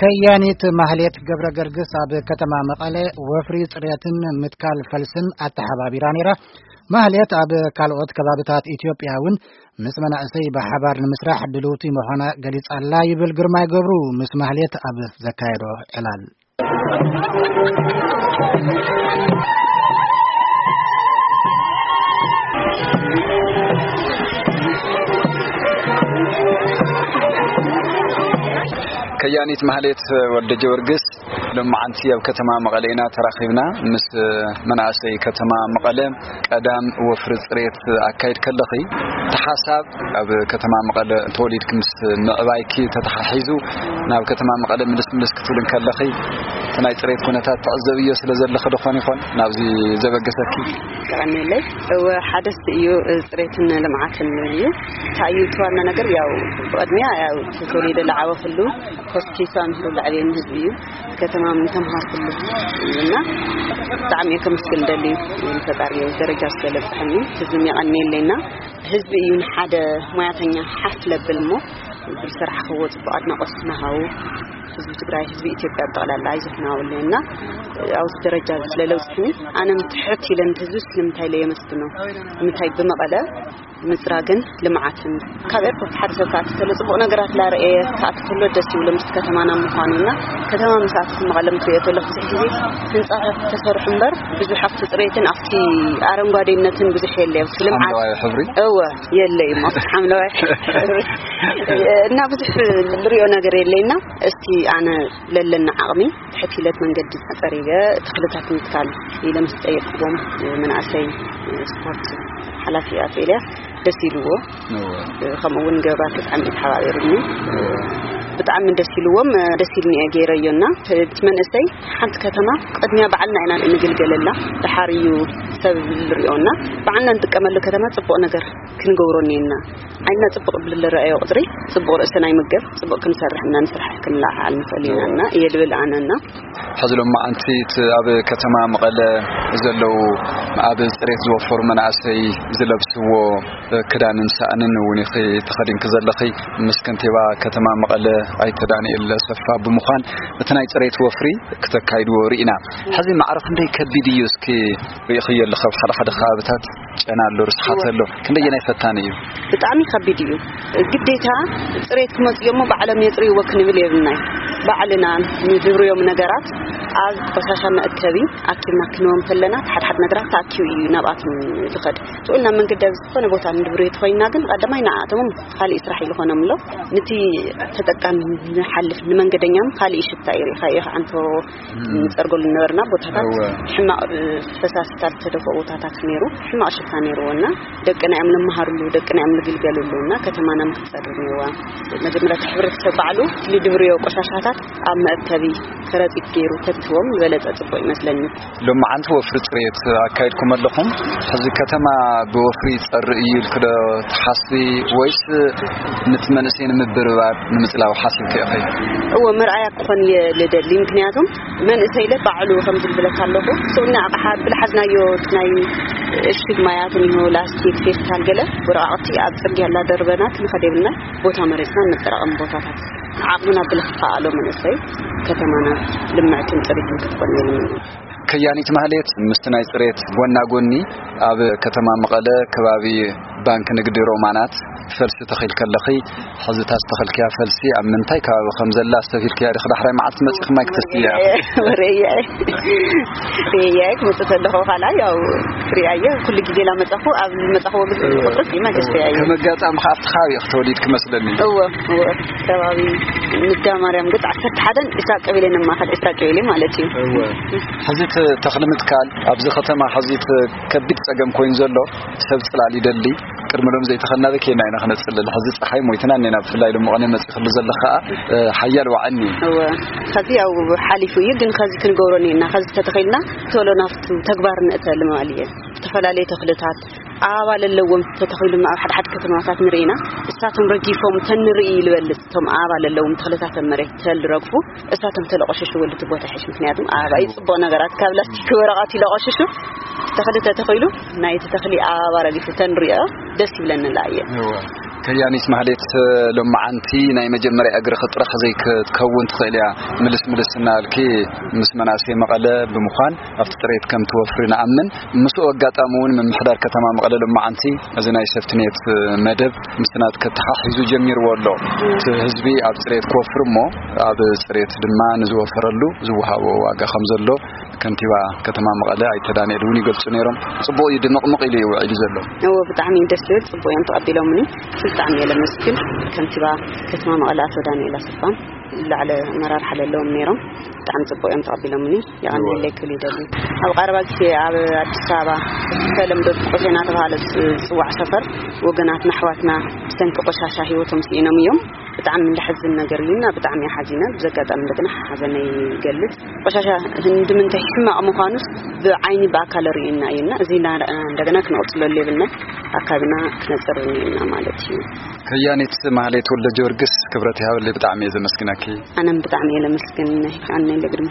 ከያኒት ማህሌት ገብረ ገርግስ ኣብ ከተማ መቐለ ወፍሪ ጽሬትን ምትካል ፈልስን ኣተሓባቢራ ነይራ። ማህሌት ኣብ ካልኦት ከባብታት ኢትዮጵያ እውን ምስ መናእሰይ ብሓባር ንምስራሕ ድልውቲ ምዃና ገሊጻ ኣላ ይብል ግርማይ ገብሩ ምስ ማህሌት ኣብ ዘካየዶ ዕላል። ከያኒት ማህሌት ወልደ ጊዮርጊስ፣ ሎማዓንቲ ኣብ ከተማ መቐለ ኢና ተራኺብና። ምስ መናእሰይ ከተማ መቐለ ቀዳም ወፍሪ ጽሬት ኣካይድ ከለኺ፣ እቲ ሓሳብ ኣብ ከተማ መቐለ ተወሊድኪ ምስ ምዕባይኪ ተተሓሒዙ ናብ ከተማ መቐለ ምልስ ምልስ ክትብል እንከለኺ፣ እቲ ናይ ጽሬት ኩነታት ትዕዘብዮ ስለ ዘለኺ ዶ ኾን ይኾን ናብዚ ዘበገሰኪ? ቀኒለይ። እወ፣ ሓደስቲ እዩ፣ ጽሬትን ልምዓትን እዩ። እንታይ እዩ እቲ ዋና ነገር? ያው ብቕድሚያ ያው ተወሊደ ዝዓበኹሉ ሆስፒታል ምሕሉ ለዕቤን ህዝቢ እዩ። ከተማ ምን ተምሃርኩሉ እና ብጣዕሚ እየ ከመስግን ደሊ ንፈጣሪ ደረጃ ስለ ለብፅሐኒ ህዝቢ የቐንየለይና። ህዝቢ እዩ ንሓደ ሞያተኛ ሓፍ ለብል እሞ ብስራሕ ክዎ ፅቡቅ ኣድናቆት ናሃው ህዝቢ ትግራይ፣ ህዝቢ ኢትዮጵያ ብጠቕላላ ኣይዘፍናውለና ኣብዚ ደረጃ ስለ ለውፅሕኒ ኣነ ትሕት ኢለን ህዝቢ ስለምንታይ ኢለ የመስግኖ። ንምንታይ ብመቐለ ምፅራግን ልምዓትን ካብ ኤርፖርት ሓደ ሰብ ክኣቲ ከሎ ፅቡቕ ነገራት ላርኤ ክኣቲ ከሎ ደስ ይብሎ ምስ ከተማና ምዃኑ እና ከተማ ምስ ኣቲ መቐለ ምትሪኦ ከሎ ብዙሕ ግዜ ህንፃታት ተሰርሑ እምበር ብዙሕ ኣብቲ ፅሬትን ኣብቲ ኣረንጓዴነትን ብዙሕ የለ ኣብቲ ልምዓት ሓምለዋይ ሕብሪ? እወ የለ እዩ ኣብቲ ሓምለዋይ ሕብሪ እና ብዙሕ ንሪኦ ነገር የለና። እስቲ ኣነ ለለና ዓቕሚ ትሕት ኢለት መንገዲ ኣፀሪገ ተኽልታት ምትካል ኢለ ምስ ጠየቅዎም መናእሰይ ስፖርት ሓላፊ ኣቶ ኤልያስ ደስ ኢልዎ። እወ። ከምኡ እውን ገባር ብጣዕሚ እዩ ተሓባቢሩኒ። ብጣዕሚ ደስ ኢልዎም፣ ደስ ኢልኒ እየ ገይረዮ እና እቲ መንእሰይ ሓንቲ ከተማ ቅድሚያ ባዕልና ኢና እንግልገለላ፣ ደሓር እዩ ሰብ ዝሪኦና። ባዕልና እንጥቀመሉ ከተማ ፅቡቕ ነገር ክንገብሮ እኒአና። ዓይንና ፅቡቕ ብዝረኣዮ ቁፅሪ ፅቡቕ ርእስና ይምገብ፣ ፅቡቕ ክንሰርሕ እና ንስራሕ ክንለዓል ንኽእል ኢና እና እየ ልብል ኣነ እና ሕዚ ሎማዓንቲ እቲ ኣብ ከተማ መቐለ ዘለዉ ኣብ ጽሬት ዝወፈሩ መናእሰይ ዝለብስዎ ክዳንን ሳእንን እውን ኢኺ ተኸዲንኪ ዘለኺ። ምስ ከንቲባ ከተማ መቐለ ኣይተ ዳንኤል ሰፋ ብምዃን እቲ ናይ ጽሬት ወፍሪ ክተካይድዎ ርኢና። ሕዚ ማዕረ ክንደይ ከቢድ እዩ እስኪ ርኢኽዮ ኣለኺ ኣብ ሓደ ሓደ ከባብታት? ጨና ኣሎ፣ ርስሓት ኣሎ። ክንደየናይ ፈታኒ እዩ? ብጣዕሚ ከቢድ እዩ። ግዴታ ጽሬት ክመጽእ እሞ ባዕሎም የጽርይዎ ክንብል የብልናይ። ባዕልና ንድብርዮም ነገራት ኣብ ቆሻሻ መእከቢ ኣኪብና ክንዎም ከለና፣ ሓደ ሓደ ነገራት ተኣኪቡ እዩ ናብኣቶም ዝኸድ። ስኡልና መንገዲ ኣብ ዝኾነ ቦታ ንድብርዮ ተኾይንና ግን ቀዳማይ ንኣቶም ካሊእ ስራሕ ይልኾኖም ኣሎ። ነቲ ተጠቃሚ ንሓልፍ ንመንገደኛም ካሊእ ሽታ እዩ። ሪኢኻ ኢኻ ኣንቶ ንጸርገሉ ነበርና ቦታታት እወ። ሕማቕ፣ እ፣ ፈሳሲታት ዝተደፍኦ ቦታታት ነይሩ። ሕማቕ ሽታ ነይርዎ እና ደቅና እዮም ንመሃርሉ፣ ደቅና እዮም ንግልገሉሉ እና ከተማና ምክትጸርግ ነይርዋ። መጀመርያ እቲ ሕብረተሰብ ባዕሉ ንድብርዮ ቆሻሻታት ኣብ መእከቢ ከረጢት ገይሩ ተትዎም ዝበለጸ ጽቡቕ ይመስለኒ። ሎማዓንቲ ወፍሪ ጽሬት ኣካይድኩም ኣለኹም። ሕዚ ከተማ ብወፍሪ ይጸሪ እዩ ኢልክ ዶ ትሓስቢ ወይስ ነቲ መንእሰይ ንምብርባር ንምጽላው ሓሲብክ ኢኺ? እወ፣ መርኣያ ክኾን እየ ልደሊ። ምክንያቱም መንእሰይ ኢለ ባዕሉ ከም ዝብለካ ኣለኹ። ስኡና ኣቕሓ ብልሓዝናዮ ናይ እሽግ ማያት እኒሆ፣ ላስቲክ፣ ፌስታል፣ ገለ ወረቃቕቲ ኣብ ጽርግያ ላደርበና ክንኸድ የብልና። ቦታ መሬትና መጠራቐሚ ቦታታት ዓቕምና ብልኽኣሎ መንእሰይ ከተማና ልምዕትን ጽሪትን ክትኮን የብልና። ከያኒት ማህሌት ምስቲ ናይ ጽሬት ጎና ጎኒ ኣብ ከተማ መቐለ ከባቢ ባንክ ንግዲ ሮማናት ፈልሲ ተኺልኪ ኣለኺ። ሕዚ እታ ዝተኸልክያ ፈልሲ ኣብ ምንታይ ከባቢ ከም ዘላ ኣስተብሂልክያ ዲኺ? ዳሕራይ መዓልቲ መጺኺ ማይ ክተስትያ? ወረየ። ሪኤያ ክመጽእ ከለኹ ካልኣይ ያው ክሪኣየ ኩሉ ግዜ ላመጻኹ ኣብ መጻኹዎ ግዜ ቁጥርስ ይመገስ ሪኣየ። ከም ኣጋጣሚ ከኣ ኣብቲ ከባቢ ኢኺ ተወሊድኪ መስለኒ። እወ፣ እወ። ከባቢ ንግዳ ማርያም ገጽ ዓሰርተ ሓደን ዒስራ ቀበሌ ነማኸል፣ ዒስራ ቀበሌ ማለት እዩ። እወ። ሕዚ እቲ ተኽሊ ምትካል ኣብዚ ከተማ ሕዚ እቲ ከቢድ ጸገም ኮይኑ ዘሎ ሰብ ጽላል ይደሊ። ቅድሚ ሎም ዘይተኸልና በኬና ኢና ክነጽልል። ሕዚ ጸሓይ ሞይትና እኔና፣ ብፍላይ ሎም መቐነ መጺኽሉ ዘለኻ፣ እ፣ ሓያል ዋዕኒ። እወ፣ ኸዚ ያው ሓሊፉ እዩ፣ ግን ኸዚ ክንገብሮ እኒአና። ኸዚ ተተኺልና ቶሎ ናብቱ ተግባር ንእተሉ ምባል እየ። ዝተፈላለዩ ተኽልታት ኣበባ ለለዎም ተተኺሉ ኣብ ሓደ ሓደ ከተማታት ንርኢና። እሳቶም ረጊፎም ተንርኢ ልበልጽ፣ እቶም ኣበባ ለለዎም ተኽልታት ኣብ መሬት ተልረግፉ፣ እሳቶም ተለቆሸሹ ወልቲ ቦታ ይሕሽ። ምክንያቱም ኣበባ እዩ ጽቡቕ ነገራት ካብ ላስቲክ ወረቐት ይለቆሽሹ፣ ተኽሊ ተተኺሉ ናይቲ ተኽሊ ኣበባ ረጊፉ ተንሪኦ ደስ ይብለኒ እየ። እወ። ከያኒት ማህሌት፣ ሎማዓንቲ ናይ መጀመርያ እግርኺ ጥራሕ ዘይክትከውን ትኽእል እያ። ምልስ ምልስ እናበልኪ ምስ መናእሰይ መቐለ ብምዃን ኣብቲ ፅሬት ከም ትወፍሪ ንኣምን። ምስኡ ኣጋጣሚ እውን ምምሕዳር ከተማ መቐለ ሎማዓንቲ እዚ ናይ ሰፍትኔት መደብ ምስ ናት ከተሓሒዙ ጀሚርዎ ኣሎ። እቲ ህዝቢ ኣብ ፅሬት ክወፍር እሞ ኣብ ፅሬት ድማ ንዝወፈረሉ ዝወሃቦ ዋጋ ከም ዘሎ ከንቲባ ከተማ መቐለ ኣይተ ዳንኤል እውን ይገልጹ ነይሮም። ጽቡቕ እዩ፣ ድምቕምቕ ኢሉ እዩ ውዒሉ ዘሎ። እዎ፣ ብጣዕሚ እዩ ደስ ዝብል። ጽቡቕ እዮም ተቐቢሎምኒ። ብጣዕሚ እየ ለመስግን ከንቲባ ከተማ መቐለ ኣቶ ዳንኤል ኣሰፋን ላዕለ ኣመራርሓ ዘለዎም ነይሮም። ብጣዕሚ ጽቡቕ እዮም ተቐቢሎምኒ። የቐንየለይ ክብል ይደሊ። ኣብ ቀረባ ግዜ ኣብ ኣዲስ ኣበባ ብተለምዶ ቆሼ እናተባሃለ ዝጽዋዕ ሰፈር ወገናትና ኣሕዋትና ብሰንኪ ቆሻሻ ህይወቶም ስኢኖም እዮም። ብጣዕሚ ለሕዝን ነገር እዩና ብጣዕሚ እየ ሓዚነ። ብዚ ኣጋጣሚ እንደገና ሓዘነይ ይገልጽ። ቆሻሻ እንድምንታይ ሕማቕ ምዃኑስ ብዓይኒ ብኣካል ርእዩና እዩና፣ እዚ እናረኣና እንደገና ክንቕጽለሉ የብልና፣ ኣካብና ክነጽር እኒኡና ማለት እዩ። ከያኒት ማህሌት ወልደ ጊዮርጊስ፣ ክብረት ይሃበለይ፣ ብጣዕሚ እየ ዘመስግነኪ። ኣነም ብጣዕሚ እየ ለመስግን። ኣነ ለግድመ